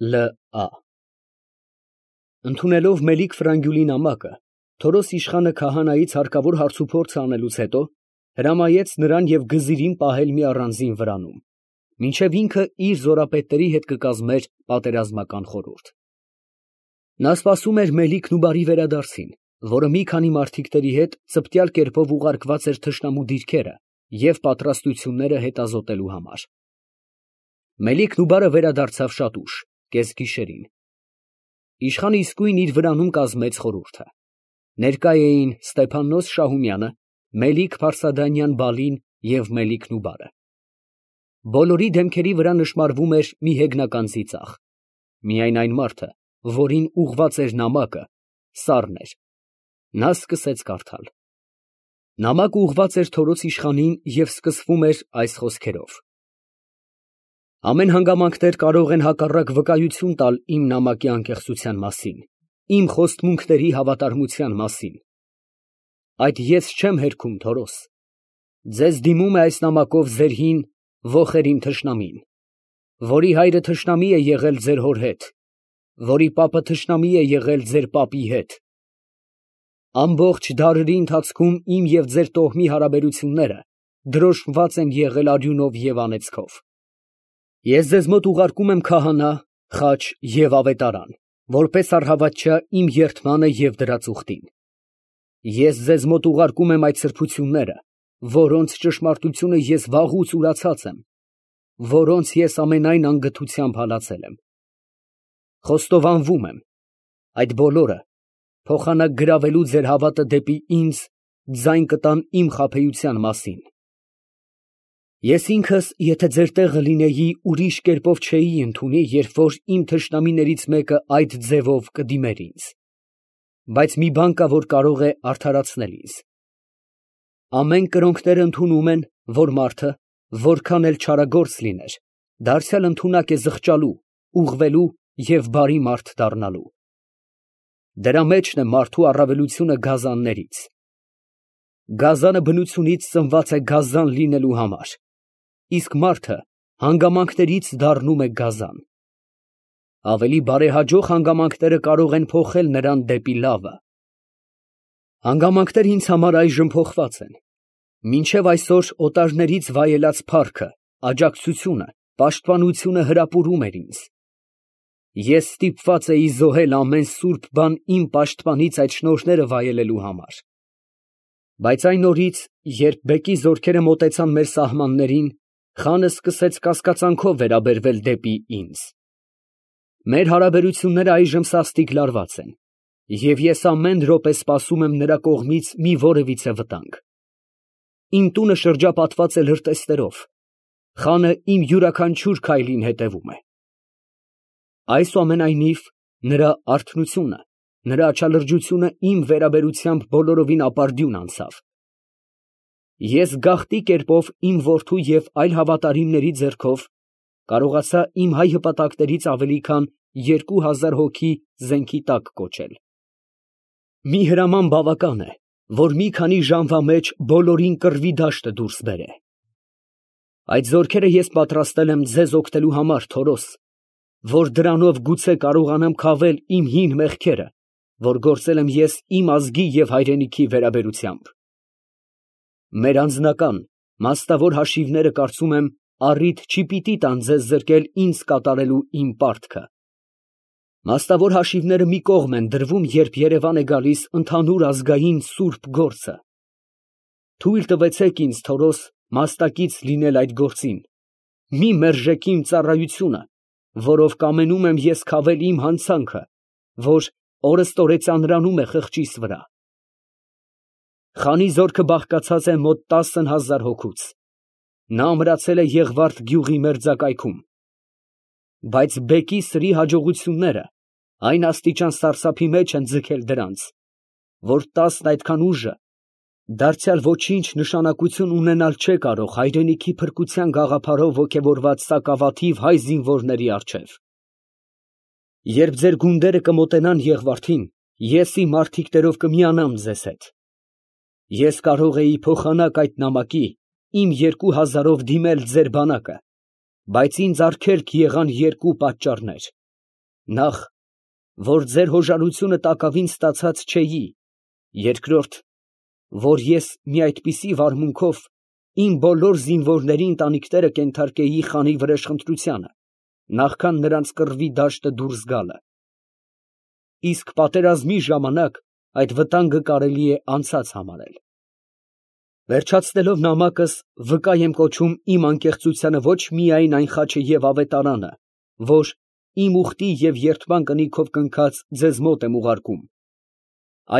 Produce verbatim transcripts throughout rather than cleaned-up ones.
Լը ա Ընդունելով Մելիք Ֆրանգյուլի նամակը, Թորոս իշխանը քահանայից հարկավոր հարցուփորձը անելուց հետո հրամայեց նրան և գզիրին պահել մի առանձին վրանում, մինչև ինքը իր զորապետների հետ կկազմեր պատերազմական խորհուրդ։ Նա սպասում էր Մելիքն ու բարի վերադարձին, որը մի քանի մարդիկների հետ ծպտյալ կերպով ուղարկված էր թշնամու դիրքերը և պատրաստությունները հետազոտելու համար։ Մելիքն ու բարը վերադարձավ շատ ուշ, կեսգիշերին։ Իշխանը իսկույն իր վրանում կազմեց խորհուրդը։ Ներկա էին Ստեփաննոս Շահումյանը, Մելիք Փարսադանյան Բալին և Մելիքն ու բարը։ Բոլորի դեմքերի վրա նշմարվում էր մի հեգնական ծիծաղ։ Միայն այն մարդը, որին ուղղված էր նամակը, սառն էր։ Նա սկսեց կարդալ։ Նամակը ուղղված էր Թորոս իշխանին և սկսվում էր այս խոսքերով. Ամեն հանգամանքներ կարող են հակառակ վկայություն տալ իմ նամակի անկեղծության մասին, իմ խոստմունքների հավատարմության մասին։ Այդ ես չեմ հերքում, Թորոս։ Ձեզ դիմում է այս նամակով ձեր հին ոխերիմ թշնամին, որի հայրը թշնամի է եղել ձեր հոր հետ, որի պապը թշնամի է եղել ձեր պապի հետ։ Ամբողջ դարերի ընթացքում իմ և ձեր տոհմի հարաբերությունները դրոշմված են եղել արյունով և անեծքով։ Ես ձեզ մոտ ուղարկում եմ քահանա, խաչ և ավետարան, որպես առհավատչա իմ երդմանը և դրա ծուխտին։ Ես ձեզ մոտ ուղարկում եմ այդ սրբությունները, որոնց ճշմարտությունը ես վաղուց ուրացած եմ, որոնց ես ամենայն անգթությամբ հալածել եմ։ Խոստովանվում եմ, այդ բոլորը փոխանակ գրավելու ձեր հավատը դեպի ինձ ձայն կտան իմ խաբեության մասին։ Ես ինքս, եթե ձեր տեղը լինեի, ուրիշ կերպով չէի ընդունի, երբ որ իմ թշնամիներից մեկը այդ ձևով կդիմեր ինձ։ Բայց մի բան կա, որ կարող է արդարացնել ինձ։ Ամեն կրոնքները ընդունում են, որ մարդը, որքան էլ չարագործ լիներ, դարձյալ ընդունակ է զղջալու, ուղղվելու և բարի մարդ դառնալու։ Դրա մեջն է մարդու առավելությունը գազաններից։ Գազանը բնությունից ծնված է գազան լինելու համար, իսկ մարդը հանգամանքներից դառնում է գազան։ Ավելի բարեհաջող հանգամանքները կարող են փոխել նրան դեպի լավը։ Հանգամանքները ինձ համար այժմ փոխված են։ Մինչև այսօր օտարներից վայելած փառքը, աջակցությունը, պաշտպանությունը հրապուրում էր ինձ։ Ես ստիպված էի զոհել ամեն սուրբ բան իմ պաշտպանից այդ շնորհները վայելելու համար։ Բայց այն օրից, երբ բեկի զորքերը մոտեցան մեր սահմաններին, խանը սկսեց կասկածանքով վերաբերվել դեպի ինձ։ Մեր հարաբերությունները այժմ սաստիկ լարված են, և ես ամեն րոպե սպասում եմ նրա կողմից մի որևիցե վտանգ։ Իմ տունը շրջապատված է լրտեսներով, խանը իմ յուրաքանչյուր քայլին հետևում է։ Այսուամենայնիվ, նրա արթնությունը, նրա աչալրջությունը իմ վերաբերությամբ բոլորովին ապարդյուն անցավ։ Ես գաղտի կերպով իմ որդու և այլ հավատարիմների ձեռքով կարողացա իմ հայ հպատակներից ավելի քան երկու հազար հոգի զենքի տակ կոչել։ Մի հրաման բավական է, որ մի քանի ժամվա մեջ բոլորին կռվի դաշտը դուրս բերե։ Այդ զորքերը ես պատրաստել եմ ձեզ օգնելու համար, Թորոս, որ դրանով գուցե կարողանամ քավել իմ հին մեղքերը, որ գործել եմ ես իմ ազգի և հայրենիքի վերաբերությամբ։ Մեր անձնական, մաստավոր հաշիվները, կարծում եմ, առիթ չի պիտի տան ձեզ զրկել ինձ կատարելու իմ պարտքը։ Մաստավոր հաշիվները մի կողմ են դրվում, երբ երևան է գալիս ընդհանուր ազգային սուրբ գործը։ Թույլ տվեցեք ինձ, Թորոս, մաստակից լինել այդ գործին։ Մի մերժեք իմ ծառայությունը, որով կամենում եմ ես քավել իմ հանցանքը, որ օրըստօրե ծանրանում է խղճիս վրա։ Խանի զորքը բաղկացած է մոտ տասն հազար հոգուց։ Նա ամրացել է Եղվարդ գյուղի մերձակայքում։ Բայց բեկի սրի հաջողությունները այն աստիճան սարսափի մեջ են ձգել դրանց, որ տասն այդքան ուժը դարձյալ ոչինչ նշանակություն ունենալ չէ կարող հայրենիքի փրկության գաղափարով ոգևորված սակավաթիվ հայ զինվորների առջև։ Երբ ձեր գունդերը կմոտենան Եղվարդին, ես իմ մարդիկներով կմիանամ ձեզ հետ։ Ես կարող էի փոխանակ այդ նամակի իմ երկու հազարով դիմել ձեր բանակը, բայց ինձ արգելք եղան երկու պատճառներ։ Նախ, որ ձեր հոժարությունը տակավին ստացած չէի, երկրորդ, որ ես մի այդպիսի վարմունքով իմ բոլոր զինվորների ընտանիքները կենթարկեի խանի վրեժխնդրությանը, նախքան նրանց կռվի դաշտը դուրս գալը։ Իսկ պատերազմի ժամանակ այդ վտանգը կարելի է անցած համարել։ Վերջացնելով նամակս, վկա եմ կոչում իմ անկեղծությանը ոչ միայն այն խաչը և ավետարանը, որ իմ ուխտի և երդման կնիքով կնքած ձեզ մոտ եմ ուղարկում,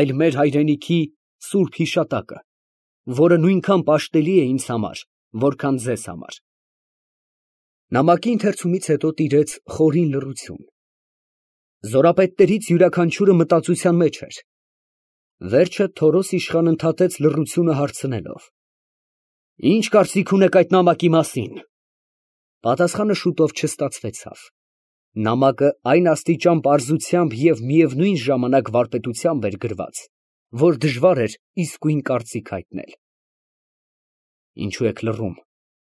այլ մեր հայրենիքի սուրբ հիշատակը, որը նույնքան պաշտելի է ինձ համար, որքան ձեզ համար։ Նամակի ընթերցումից հետո տիրեց խորին լռություն։ Զորապետներից յուրաքանչյուրը մտածության մեջ էր։ Վերջը Թորոս իշխան ընդհատեց լռությունը հարցնելով. «Ի՞նչ կարծիք ունեք այդ նամակի մասին»։ Պատասխանը շուտով չստացվեցավ։ Նամակը այն աստիճան պարզությամբ և միևնույն ժամանակ վարպետությամբ էր գրված, որ դժվար էր իսկույն կարծիք հայտնել։ «Ինչո՞ւ եք լռում»,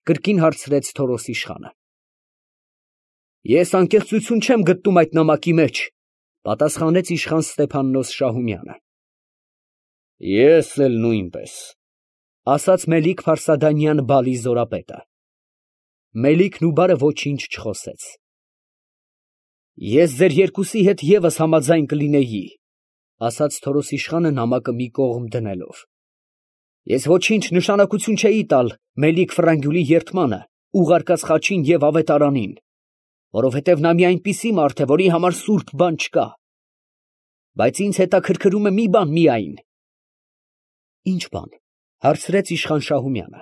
կրկին հարցրեց Թորոս իշխանը։ «Ես անկեղծություն չեմ գտնում այդ նամակի մեջ», պատասխանեց իշխան Ստեփաննոս Շահումյանը։ «Ես էլ նույնպես», ասաց Մելիք-Փարսադանյան Բալի զորապետը։ Մելիքն ու բարը ոչինչ չխոսեց։ «Ես ձեր երկուսի հետ ևս համաձայն կլինեի», ասաց Թորոս իշխանը նամակը մի կողմ դնելով։ «Ես ոչինչ նշանակություն չէի տալ Մելիք Ֆրանգյուլի երդմանը, ուղարկած խաչին և ավետարանին, որովհետև նա մի այնպիսի մարդ է, որի համար սուրբ բան չկա։ Բայց ինձ հետաքրքրում է մի բան միայն»։ «Ի՞նչ բան», հարցրեց իշխան Շահումյանը։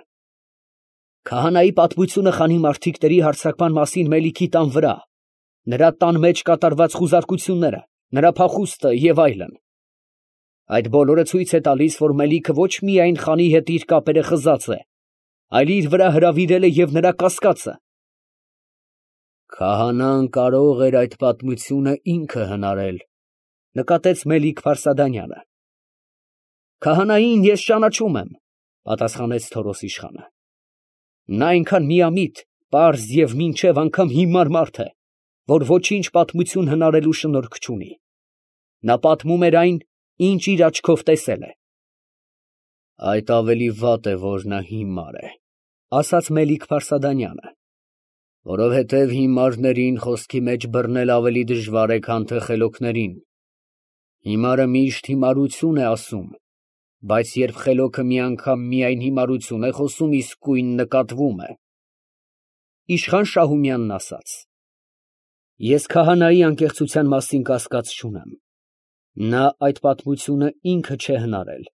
«Քահանայի պատմությունը խանի մարդիկների հարձակման մասին Մելիքի տան վրա, նրա տան մեջ կատարված խուզարկությունները, նրա փախուստը և այլն։ Այդ բոլորը ցույց է տալիս, որ Մելիքը ոչ միայն խանի հետ իր կապերը խզած է, այլ իր վրա հրավիրել է և նրա կասկածը»։ «Քահանան կարող էր այդ պատմությունը ինքը հնարել», նկատեց Մելիք-Փարսադանյանը։ «Քահանային ես ճանաչում եմ», պատասխանեց Թորոս իշխանը։ «Նա այնքան միամիտ, պարզ և մինչև անգամ հիմար մարդ է, որ ոչինչ պատմություն հնարելու շնորք չունի։ Նա պատմում էր այն, ինչ իր աչքով տեսել է»։ «Այդ ավելի վատ է, որ նա հիմար է», ասաց Մելիք-Փարսադանյանը, «որովհետև հիմարներին խոսքի մեջ բռնել ավելի դժվար է, քան թե խելոքներին։ Հիմարը միշտ հիմարություն է ասում, բայց երբ խելոքը մի անգամ միայն հիմարություն է խոսում, իսկույն նկատվում է»։ Իշխան Շահումյանն ասաց. «Ես քահանայի անկեղծության մասին կասկած չունեմ։ Նա այդ պատմությունը ինքը չէ հնարել,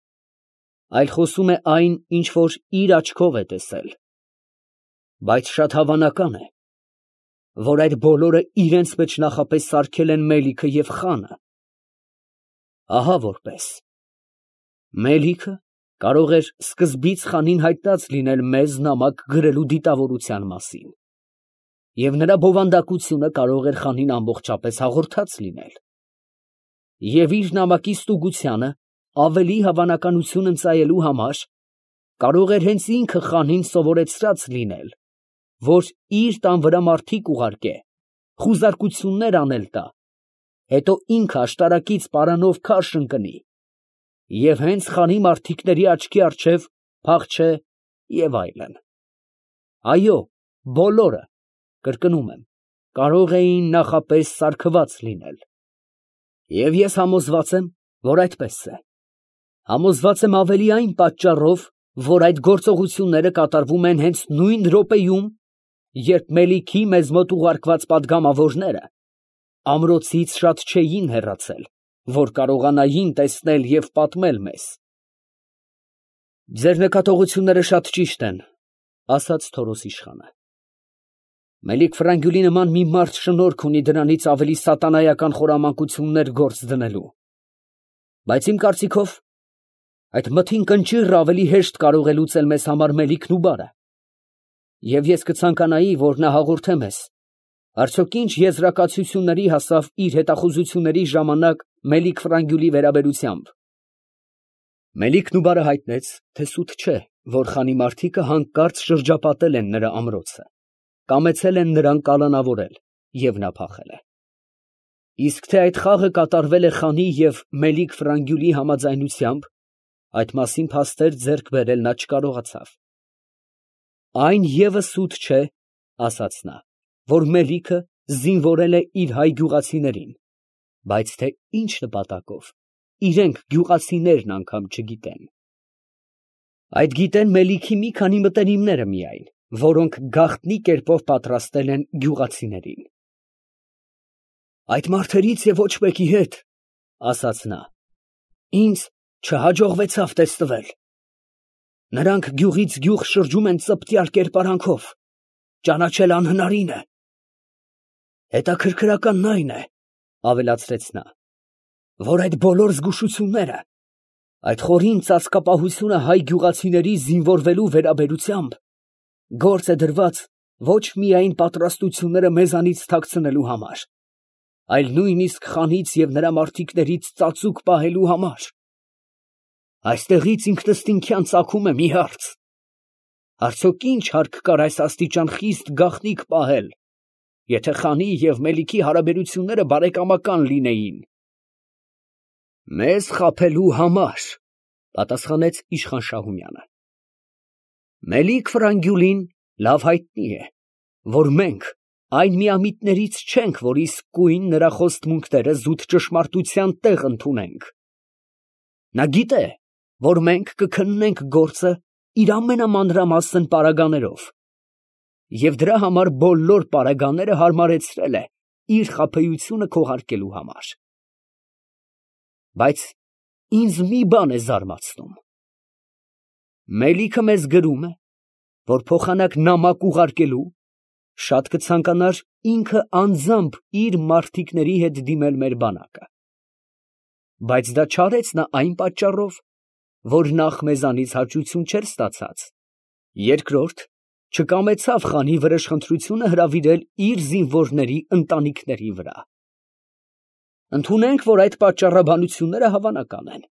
այլ խոսում է այն, ինչ որ իր աչքով է տեսել։ Բայց շատ հավանական է, որ այդ բոլորը իրենց մեջ նախապես սարքել են Մելիքը և խանը։ Ահա որպես. Մելիքը կարող էր սկզբից խանին հայտնած լինել մեզ նամակ գրելու դիտավորության մասին, և նրա բովանդակությունը կարող էր խանին ամբողջապես հաղորդած լինել, և իր նամակի ստուգությանը ավելի հավանականություն ընծայելու համար կարող էր հենց ինքը խանին սովորեցրած լինել, որ իր տան վրա մարդիկ ուղարկե, խուզարկություններ անել տա, հետո ինքը աշտարակից պարանով քարշ ընկնի և հենց խանի մարդիկների աչքի առջև փախչե և այլն։ Այո, բոլորը, կրկնում եմ, կարող էին նախապես սարքված լինել։ Եվ ես համոզված եմ, որ այդպես է։ Համոզված եմ ավելի այն պատճառով, որ այդ գործողությունները կատարվում են հենց նույն րոպեում, երբ Մելիքի մեզ մոտ ուղարկված պատգամավորները ամրոցից շատ չէին հեռացել, որ կարողանային տեսնել և պատմել մեզ։ Ձեր նկատողությունները շատ ճիշտ են, ասաց Թորոս իշխանը։ Մելիք Ֆրանգյուլի նման մի մարդ շնորք ունի դրանից ավելի սատանայական խորամանկություններ գործ դնելու, բայց իմ կարծիքով այդ մթին կնճիռը ավելի հեշտ կարող է լուծել մեզ համար Մելիքն ու բարը, և ես կցանկանայի, որ նա հաղորդե մեզ, արդյոք ինչ եզրակացությունների հասավ իր հետախուզությունների ժամանակ Մելիք Ֆրանգյուլի վերաբերությամբ։ Մելիքն ու բարը հայտնեց, թե սուտ չէ, որ խանի մարդիկը հանկարծ շրջապատել են նրա ամրոցը, կամեցել են նրան կալանավորել, և նա փախել է։ Իսկ թե այդ խաղը կատարվել է խանի և Մելիք Ֆրանգյուլի համաձայնությամբ, այդ մասին փաստեր ձեռք բերել նա չկարողացավ։ Այն ևս սուտ չէ, ասաց նա, որ Մելիքը զինվորել է իր հայ գյուղացիներին, բայց թե ինչ նպատակով, իրենք գյուղացիներն անգամ չգիտեն։ Այդ գիտեն Մելիքի մի քանի մտերիմները միայն, որոնք գաղտնի կերպով պատրաստել են գյուղացիներին։ Այդ մարդերից և ոչ մեկի հետ, ասաց նա, ինձ չհաջողվեցավ տեսնվել։ Նրանք գյուղից գյուղ շրջում են ծպտյալ կերպարանքով, ճանաչել անհնարին է։ Հետաքրքրականն այն է, ավելացրեց նա, որ այդ բոլոր զգուշությունները, այդ խորին ծածկապահությունը հայ գյուղացիների զինվորվելու վերաբերությամբ գործ է դրված ոչ միայն պատրաստությունները մեզանից թաքցնելու համար, այլ նույնիսկ խանից և նրա մարդիկներից ծածուկ պահելու համար։ Այստեղից ինքնըստինքյան ծագում է մի հարց. արդյոք ինչ հարկ կար այս աստիճան խիստ գաղտնիք պահել, եթե խանի և Մելիքի հարաբերությունները բարեկամական լինեին։ Մեզ խաբելու համար, պատասխանեց իշխան Շահումյանը։ Մելիք Ֆրանգյուլին լավ հայտնի է, որ մենք այն միամիտներից չենք, որ իսկույն նրա խոստմունքները զուտ ճշմարտության տեղ ընդունենք։ Նա գիտե, որ մենք կքննենք գործը իր ամենամանրամասն պարագաներով, և դրա համար բոլոր պարագաները հարմարեցրել է իր խաբեությունը քողարկելու համար։ Բայց ինձ մի բան է զարմացնում. Մելիքը մեզ գրում է, որ փոխանակ նամակ ուղարկելու, շատ կցանկանար ինքը անձամբ իր մարդիկների հետ դիմել մեր բանակը։ Բայց դա չարեց նա այն պատճառով, որ նախ մեզանից հաճույություն չէր ստացած, երկրորդ, չկամեցավ խանի վրեժխնդրությունը հրավիրել իր զինվորների ընտանիքների վրա։ Ընդունենք, որ այդ պատճառաբանությունները հավանական են,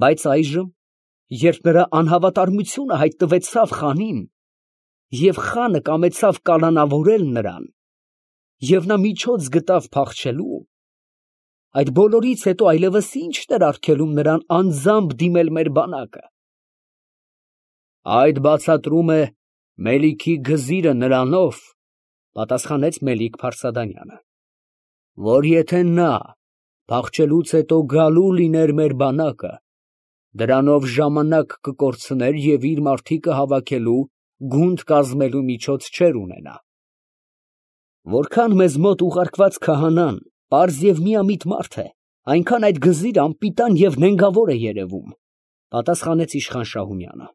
բայց այժմ, երբ նրա անհավատարմությունը հայտնվեցավ խանին, և խանը կամեցավ կալանավորել նրան, և նա միջոց գտավ փախչելու, այդ բոլորից հետո այլևս ի՞նչն էր արգելում նրան անձամբ դիմել մեր բանակը։ Այդ բացատրում է Մելիքի գզիրը նրանով, պատասխանեց Մելիք Փարսադանյանը, որ եթե նա փախչելուց հետո գալու լիներ մեր բանակը, դրանով ժամանակ կկորցներ և իր մարդիկը հավաքելու, գունդ կազմելու միջոց չէր ունենա։ Որքան մեզ մոտ ուղարկված քահանան պարզ և միամիտ մարդ է, այնքան այդ գզիրը անպիտան և նենգավոր է երևում, պատասխանեց իշխան Շահումյանը։